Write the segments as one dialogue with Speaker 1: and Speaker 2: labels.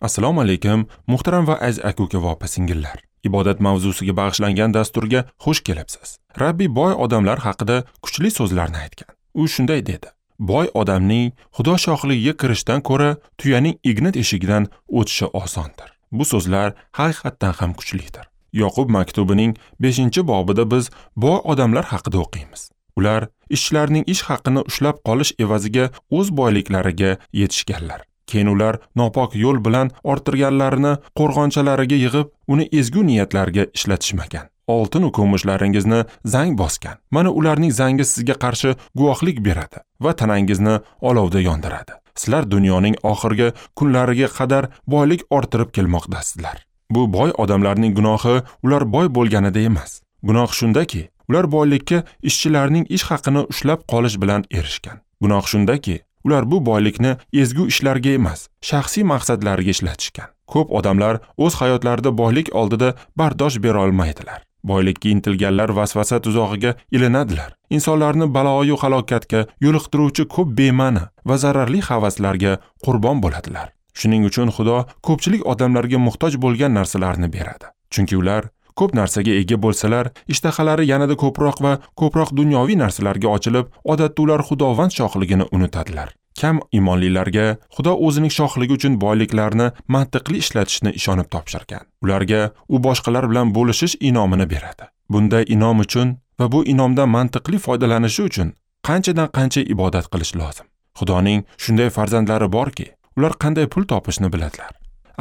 Speaker 1: Assalomu alaykum, muhtaram va aziz aka-uka va opa-singillar. Ibodat mavzusiga bag'ishlangan dasturga xush kelibsiz. Rabbiy boy odamlar haqida kuchli so'zlarni aytgan. U shunday dedi: Boy odamning Xudo shohligiga kirishdan ko'ra tuyaning igna teshigidan o'tishi osondir. Bu so'zlar haqiqatdan ham kuchlidir. Yoqub maktubining 5-bobida biz boy odamlar haqida o'qiymiz. Ular ishchilarning ish haqini ushlab qolish evaziga o'z boyliklariga yetishganlar. Keyin ular nopok yo'l bilan orttirganlarini qo'rg'onchalariga yig'ib, uni ezgu niyatlarga ishlatishmagan. Oltin va kumushlaringizni zang bosgan. Mana ularning zangi sizga qarshi guvohlik beradi va tanangizni olovda yondiradi. Sizlar dunyoning oxirgi kunlariga qadar boylik orttirib kelmoqdasizlar. Bu boy odamlarning gunohi ular boy bo'lganida emas. Gunoh shundaki, ular boylikka ishchilarning ish haqini ushlab qolish bilan erishgan. Gunoh shundaki, ular bu boylikni ezgu ishlarga emas, shaxsiy maqsadlarga ishlatishgan. Ko'p odamlar o'z hayotlarida boylik oldida bardosh bera olmaydilar. Boylikka intilganlar vasvasa tuzog'iga ilinadilar. Insonlarni baloyu halokatga yo'liqtiruvchi ko'p bema'ni va zararli havaslarga qurbon bo'ladilar. Shuning uchun Xudo ko'pchilik odamlarga muhtoj bo'lgan narsalarni beradi. Chunki ular ko'p narsaga ega bo'lsalar, ishtahalari yanada ko'proq va ko'proq dunyoviy narsalarga ochilib, odatda ular Xudovand shohligini unutadilar. Kam imonlilarga Xudo o'zining shohligi uchun boyliklarni mantiqli ishlatishni ishonib topshirgan. Ularga u boshqalar bilan bo'lishish inomini beradi. Bunday inom uchun va bu inomdan mantiqli foydalanishi uchun qanchadan qancha ibodat qilish lozim. Xudoning shunday farzandlari borki, ular qanday pul topishni biladilar.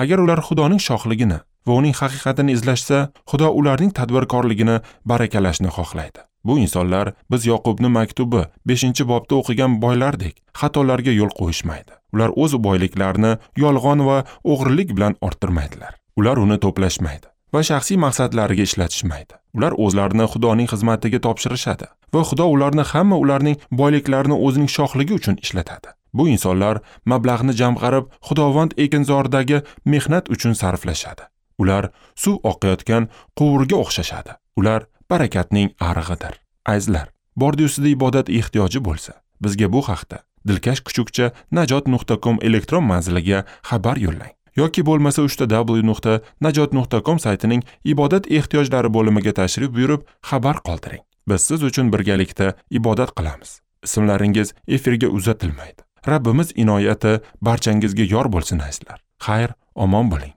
Speaker 1: Agar ular Xudoning shohligini va uning haqiqatini izlashsa, Xudo ularning tadbirkorligini barakalashni xohlaydi. Bu insonlar biz Yoqubning maktubi 5-bobda o'qigan boylardek xatolarga yo'l qo'yishmaydi. Ular o'z boyliklarini yolg'on va o'g'rilik bilan orttirmaydilar. Ular uni to'plashmaydi va shaxsiy maqsadlariga ishlatishmaydi. Ular o'zlarini Xudoning xizmatiga topshirishadi va Xudo ularni hamma ularning boyliklarini o'zining shohligi uchun ishlatadi. Bu insonlar mablag'ni jamg'arib, Xudovand ekinzordagi mehnat uchun sarflashadi. Ular suv oqayotgan quvurga o'xshashadi. Ular barakatning arig'idir. Azizlar, bordi-ustida ibodat ehtiyoji bo'lsa, bizga bu haqda dilkash kuchukcha najot.com elektron manziliga xabar yo'llang yoki bo'lmasa www.najot.com saytining ibodat ehtiyojlari bo'limiga tashrif buyurib xabar qoldiring. Biz siz uchun birgalikda ibodat qilamiz. Ismlaringiz efirga uzatilmaydi. Rabbimiz inoyati barchangizga yor bo'lsin azizlar. Xayr, omon bo'ling.